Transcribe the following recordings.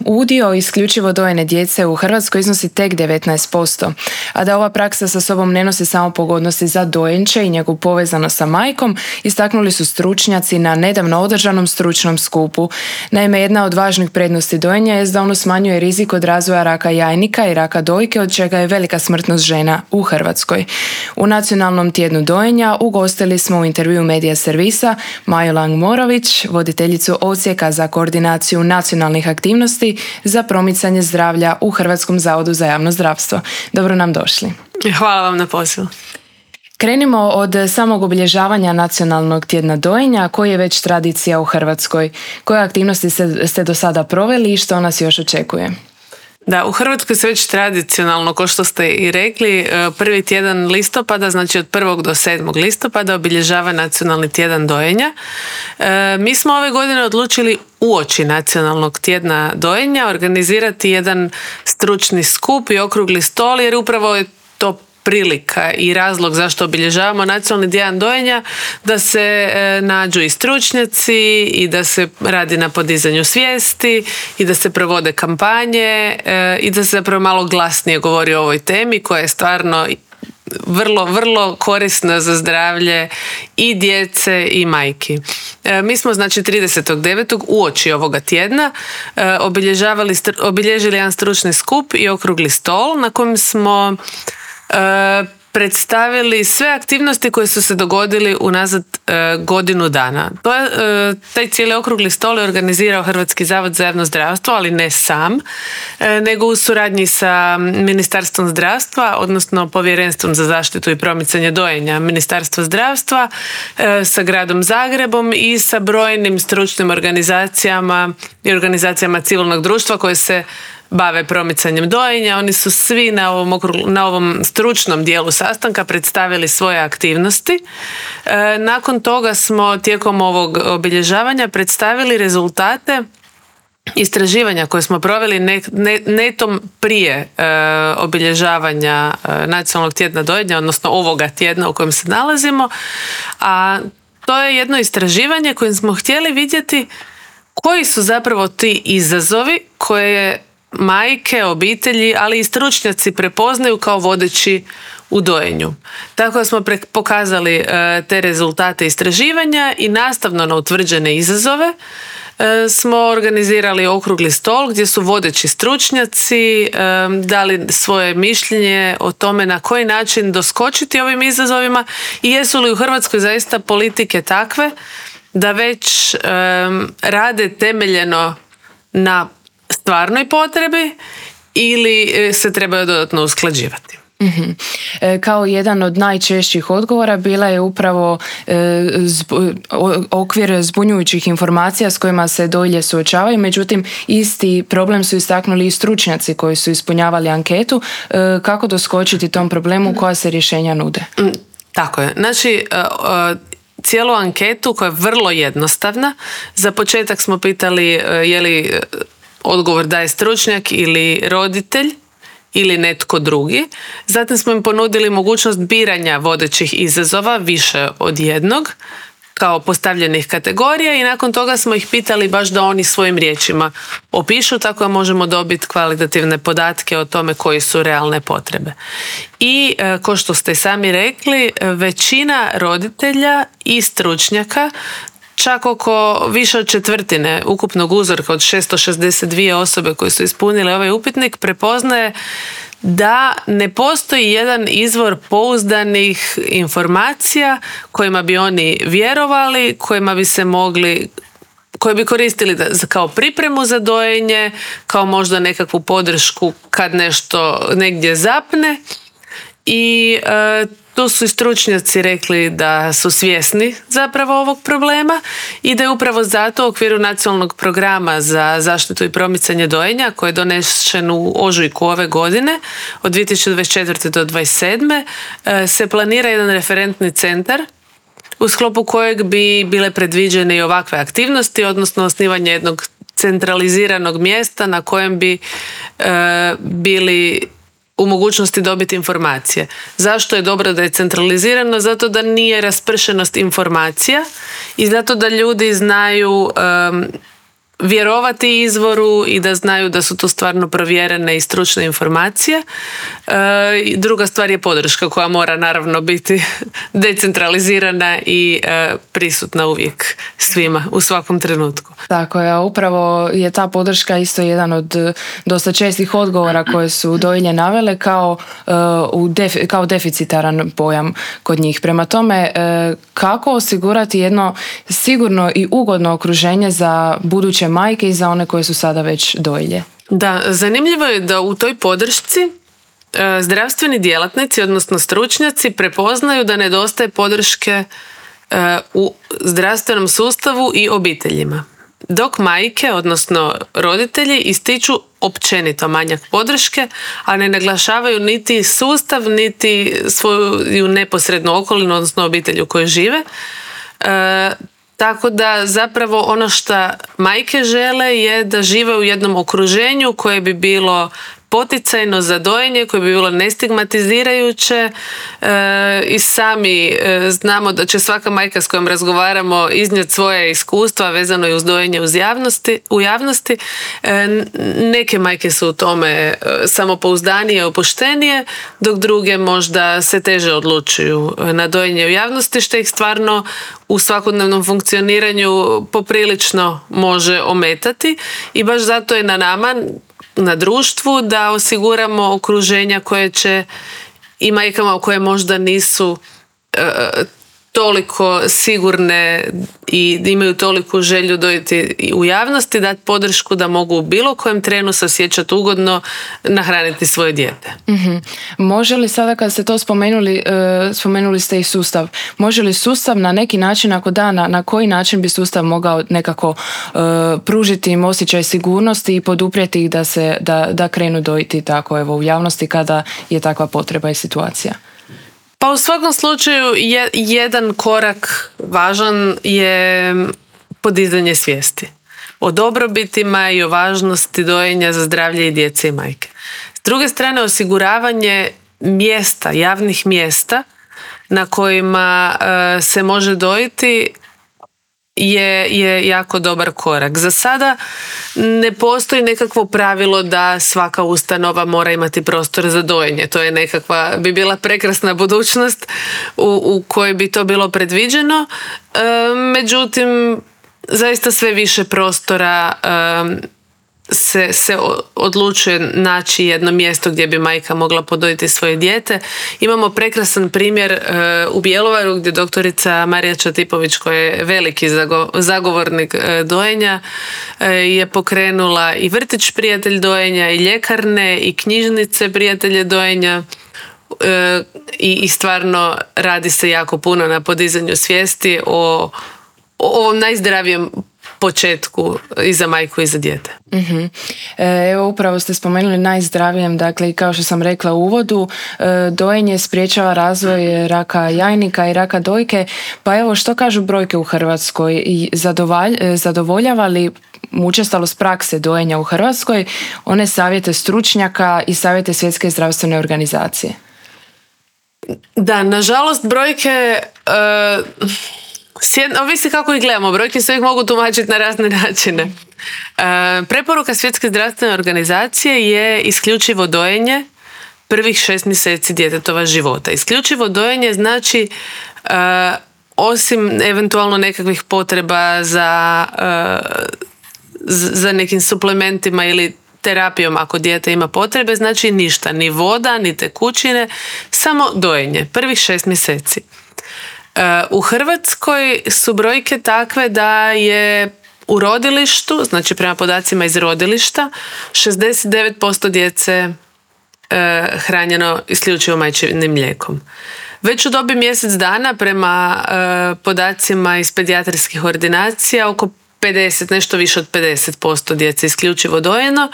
Udio isključivo dojene djece u Hrvatskoj iznosi tek 19%, a da ova praksa sa sobom ne nosi samo pogodnosti za dojenče i njegovu povezanost sa majkom, istaknuli su stručnjaci na nedavno održanom stručnom skupu. Naime, jedna od važnih prednosti dojenja je da ono smanjuje rizik od razvoja raka jajnika i raka dojke, od čega je velika smrtnost žena u Hrvatskoj. U Nacionalnom tjednu dojenja ugostili smo u intervjuu Medija servisa Maju Lang-Morović, voditeljicu Odsjeka za koordinaciju nacionalnih aktivnosti za promicanje zdravlja u Hrvatskom zavodu za javno zdravstvo. Dobro nam došli. Hvala vam na pozivu. Krenimo od samog obilježavanja Nacionalnog tjedna dojenja, koji je već tradicija u Hrvatskoj. Koje aktivnosti ste do sada proveli i što nas još očekuje? Da, u Hrvatskoj se već tradicionalno, kao što ste i rekli, prvi tjedan listopada, znači od 1. do 7. listopada obilježava Nacionalni tjedan dojenja. Mi smo ove godine odlučili uoči Nacionalnog tjedna dojenja organizirati jedan stručni skup i okrugli stol, jer upravo je to prilika i razlog zašto obilježavamo Nacionalni tjedan dojenja, da se nađu i stručnjaci i da se radi na podizanju svijesti i da se provode kampanje i da se zapravo malo glasnije govori o ovoj temi koja je stvarno vrlo, vrlo korisna za zdravlje i djece i majki. Mi smo znači 30.9. uoči ovoga tjedna obilježili jedan stručni skup i okrugli stol na kojem smo predstavili sve aktivnosti koje su se dogodili unazad godinu dana. Taj cijeli okrugli stol je organizirao Hrvatski zavod za javno zdravstvo, ali ne sam, nego u suradnji sa Ministarstvom zdravstva, odnosno Povjerenstvom za zaštitu i promicanje dojenja Ministarstva zdravstva, sa Gradom Zagrebom i sa brojnim stručnim organizacijama i organizacijama civilnog društva koje se bave promicanjem dojenja. Oni su svi na ovom stručnom dijelu sastanka predstavili svoje aktivnosti. Nakon toga smo tijekom ovog obilježavanja predstavili rezultate istraživanja koje smo proveli netom prije obilježavanja Nacionalnog tjedna dojenja, odnosno ovoga tjedna u kojem se nalazimo. A to je jedno istraživanje kojim smo htjeli vidjeti koji su zapravo ti izazovi koje majke, obitelji, ali i stručnjaci prepoznaju kao vodeći u dojenju. Tako da smo pokazali te rezultate istraživanja i nastavno na utvrđene izazove smo organizirali okrugli stol gdje su vodeći stručnjaci dali svoje mišljenje o tome na koji način doskočiti ovim izazovima i jesu li u Hrvatskoj zaista politike takve da već rade temeljeno na stvarnoj potrebi ili se trebaju dodatno usklađivati. Mm-hmm. Kao jedan od najčešćih odgovora bila je upravo okvir zbunjujućih informacija s kojima se dojilje suočavaju, međutim isti problem su istaknuli i stručnjaci koji su ispunjavali anketu. Kako doskočiti tom problemu, koja se rješenja nude? Tako je. Znači, cijelu anketu koja je vrlo jednostavna, za početak smo pitali je li odgovor daje stručnjak ili roditelj ili netko drugi. Zatim smo im ponudili mogućnost biranja vodećih izazova, više od jednog, kao postavljenih kategorija i nakon toga smo ih pitali baš da oni svojim riječima opišu, tako da možemo dobiti kvalitativne podatke o tome koji su realne potrebe. I kao što ste sami rekli, većina roditelja i stručnjaka, čak oko više od četvrtine ukupnog uzorka od 662 osobe koje su ispunile ovaj upitnik, prepoznaje da ne postoji jedan izvor pouzdanih informacija kojima bi oni vjerovali, kojima bi se mogli, koje bi koristili kao pripremu za dojenje, kao možda nekakvu podršku kad nešto negdje zapne. I tu su i stručnjaci rekli da su svjesni zapravo ovog problema i da je upravo zato u okviru Nacionalnog programa za zaštitu i promicanje dojenja koji je donesen u ožujku ove godine od 2024. do 2027. Se planira jedan referentni centar u sklopu kojeg bi bile predviđene i ovakve aktivnosti, odnosno osnivanje jednog centraliziranog mjesta na kojem bi bili u mogućnosti dobiti informacije. Zašto je dobro da je centralizirano? Zato da nije raspršenost informacija i zato da ljudi znaju vjerovati izvoru i da znaju da su to stvarno provjerene i stručne informacije. Druga stvar je podrška koja mora naravno biti decentralizirana i prisutna uvijek svima u svakom trenutku. Tako je, a upravo je ta podrška isto jedan od dosta čestih odgovora koje su dojilje navele kao deficitaran pojam kod njih. Prema tome, kako osigurati jedno sigurno i ugodno okruženje za buduće majke i za one koje su sada već dojilje? Da, zanimljivo je da u toj podršci zdravstveni djelatnici, odnosno stručnjaci, prepoznaju da nedostaje podrške u zdravstvenom sustavu i obiteljima. Dok majke, odnosno roditelji, ističu općenito manjak podrške, a ne naglašavaju niti sustav, niti svoju neposrednu okolinu, odnosno obitelj u kojoj žive. Tako da zapravo ono što majke žele je da žive u jednom okruženju koje bi bilo poticajno za dojenje, koje bi bilo nestigmatizirajuće i sami znamo da će svaka majka s kojom razgovaramo iznijeti svoje iskustva vezano i uz dojenje u javnosti. Neke majke su u tome samopouzdanije, opuštenije, dok druge možda se teže odlučuju na dojenje u javnosti, što ih stvarno u svakodnevnom funkcioniranju poprilično može ometati i baš zato je na nama, na društvu, da osiguramo okruženja koje će i majkama koje možda nisu toliko sigurne i imaju toliku želju dojiti u javnosti, dati podršku da mogu u bilo kojem trenu se osjećati ugodno nahraniti svoje dijete. Mm-hmm. Može li sada kad ste to spomenuli ste i sustav, može li sustav na neki način, ako da, na koji način bi sustav mogao nekako pružiti im osjećaj sigurnosti i poduprijeti ih da krenu dojiti tako u javnosti kada je takva potreba i situacija? Pa u svakom slučaju jedan korak važan je podizanje svijesti o dobrobitima i o važnosti dojenja za zdravlje i djece i majke. S druge strane, osiguravanje mjesta, javnih mjesta na kojima se može dojiti je jako dobar korak. Za sada ne postoji nekakvo pravilo da svaka ustanova mora imati prostor za dojenje. To je bi bila prekrasna budućnost u kojoj bi to bilo predviđeno. Međutim, zaista sve više prostora se odlučuje naći jedno mjesto gdje bi majka mogla podojiti svoje dijete. Imamo prekrasan primjer u Bjelovaru gdje doktorica Marija Čatipović, koja je veliki zagovornik dojenja, je pokrenula i vrtić Prijatelj dojenja, i ljekarne, i knjižnice Prijatelje dojenja, i stvarno radi se jako puno na podizanju svijesti o ovom najzdravijem početku i za majku i za dijete. Mm-hmm. Evo, upravo ste spomenuli najzdravijem, dakle, i kao što sam rekla u uvodu, dojenje sprječava razvoj raka jajnika i raka dojke. Pa evo, što kažu brojke u Hrvatskoj? Zadovoljava li učestalost prakse dojenja u Hrvatskoj one savjete stručnjaka i savjete Svjetske zdravstvene organizacije? Da, nažalost, brojke ovisi kako ih gledamo. Brojke se uvijek mogu tumačiti na razne načine. Preporuka Svjetske zdravstvene organizacije je isključivo dojenje prvih 6 mjeseci djetetova života. Isključivo dojenje znači osim eventualno nekakvih potreba za nekim suplementima ili terapijom ako dijete ima potrebe, znači ništa, ni voda, ni tekućine, samo dojenje prvih 6 mjeseci. U Hrvatskoj su brojke takve da je u rodilištu, znači prema podacima iz rodilišta, 69% djece hranjeno isključivo majčinim mlijekom. Već u dobi mjesec dana prema podacima iz pedijatrijskih ordinacija oko 50, nešto više od 50% djece isključivo dojeno,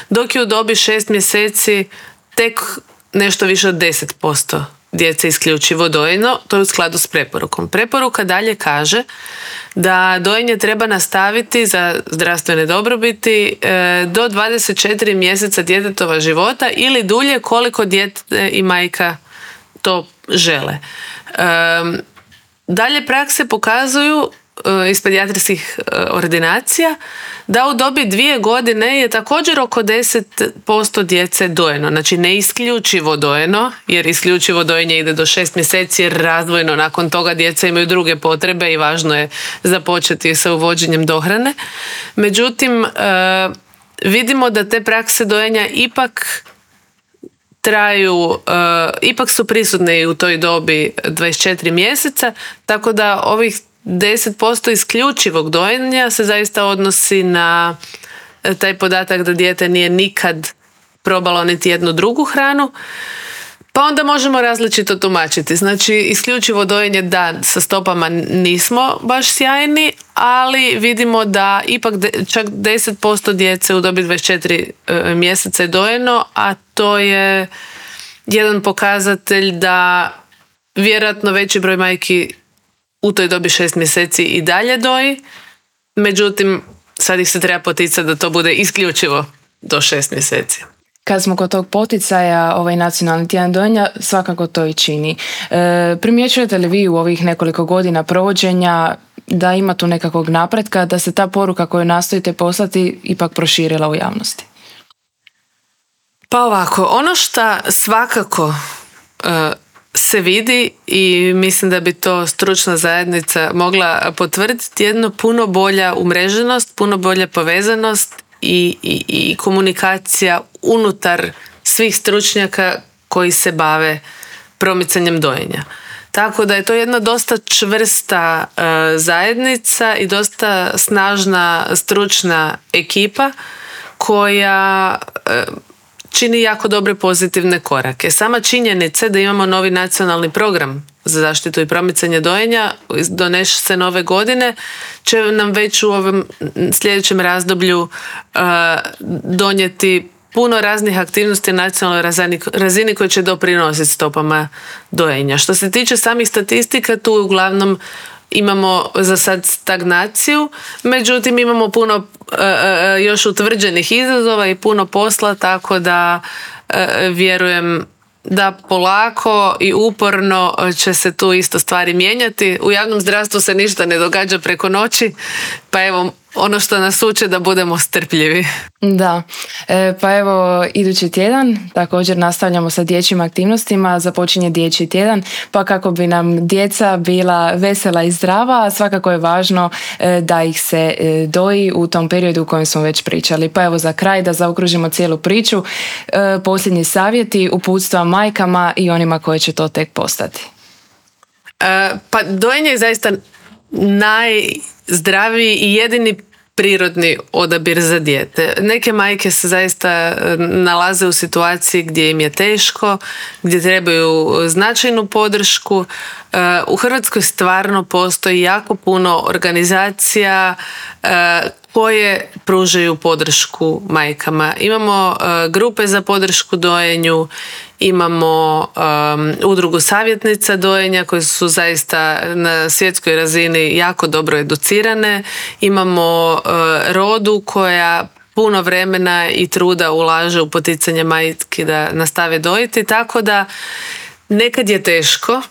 dok je u dobi 6 mjeseci tek nešto više od 10% djece isključivo dojeno. To je u skladu s preporukom. Preporuka dalje kaže da dojenje treba nastaviti za zdravstvene dobrobiti do 24 mjeseca djetetova života ili dulje koliko dijete i majka to žele. Dalje prakse pokazuju iz pedijatrijskih ordinacija da u dobi 2 godine je također oko 10% djece dojeno. Znači ne isključivo dojeno, jer isključivo dojenje ide do 6 mjeseci jer razvojno nakon toga djeca imaju druge potrebe i važno je započeti sa uvođenjem dohrane. Međutim, vidimo da te prakse dojenja ipak traju, ipak su prisutne i u toj dobi 24 mjeseca, tako da ovih 10% isključivog dojenja se zaista odnosi na taj podatak da dijete nije nikad probalo niti jednu drugu hranu, pa onda možemo različito tumačiti. Znači, isključivo dojenje da, sa stopama nismo baš sjajni, ali vidimo da ipak čak 10% djece u dobi 24 mjeseca je dojeno, a to je jedan pokazatelj da vjerojatno veći broj majki u toj dobi 6 mjeseci i dalje doji, međutim sad ih se treba poticati da to bude isključivo do 6 mjeseci. Kad smo kod tog poticaja, ovaj nacionalni tjedan dojenja svakako to i čini. Primjećujete li vi u ovih nekoliko godina provođenja da ima tu nekakvog napretka, da se ta poruka koju nastojite poslati ipak proširila u javnosti? Pa ovako, ono što svakako se vidi i mislim da bi to stručna zajednica mogla potvrditi, jedno puno bolja umreženost, puno bolja povezanost i komunikacija unutar svih stručnjaka koji se bave promicanjem dojenja. Tako da je to jedna dosta čvrsta zajednica i dosta snažna stručna ekipa koja čini jako dobre pozitivne korake. Sama činjenica da imamo novi nacionalni program za zaštitu i promicanje dojenja, donese se nove godine, će nam već u ovom sljedećem razdoblju donijeti puno raznih aktivnosti na nacionalnoj razini koje će doprinositi stopama dojenja. Što se tiče samih statistika, tu uglavnom imamo za sad stagnaciju, međutim imamo puno još utvrđenih izazova i puno posla, tako da vjerujem da polako i uporno će se tu isto stvari mijenjati. U javnom zdravstvu se ništa ne događa preko noći, pa evo ono što nas uče da budemo strpljivi. Da, pa evo idući tjedan također nastavljamo sa dječjim aktivnostima, započinje dječji tjedan, pa kako bi nam djeca bila vesela i zdrava, svakako je važno da ih se doji u tom periodu u kojem smo već pričali. Pa evo za kraj da zaokružimo cijelu priču, posljednji savjeti, uputstva majkama i onima koje će to tek postati. Pa dojenje je zaista najzdraviji i jedini prirodni odabir za dijete. Neke majke se zaista nalaze u situaciji gdje im je teško, gdje trebaju značajnu podršku. U Hrvatskoj stvarno postoji jako puno organizacija koje pružaju podršku majkama. Imamo grupe za podršku dojenju, imamo udrugu savjetnica dojenja koje su zaista na svjetskoj razini jako dobro educirane, imamo Rodu koja puno vremena i truda ulaže u poticanje majki da nastave dojiti, tako da nekad je teško,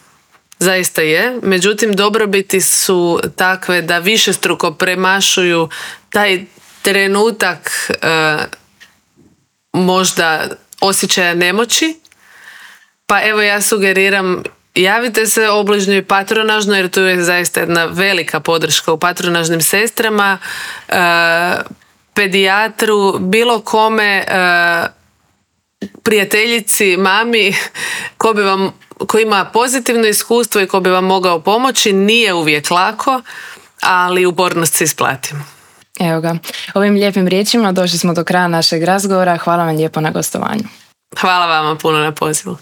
zaista je, međutim dobrobiti su takve da višestruko premašuju taj trenutak možda osjećaja nemoći. Pa evo ja sugeriram, javite se obližnjoj patronažno jer tu je zaista jedna velika podrška u patronažnim sestrama, pedijatru, bilo kome, prijateljici, mami, ko ima pozitivno iskustvo i ko bi vam mogao pomoći. Nije uvijek lako, ali upornost se isplati. Evo ga, ovim lijepim riječima došli smo do kraja našeg razgovora. Hvala vam lijepo na gostovanju. Hvala vama puno na pozivu.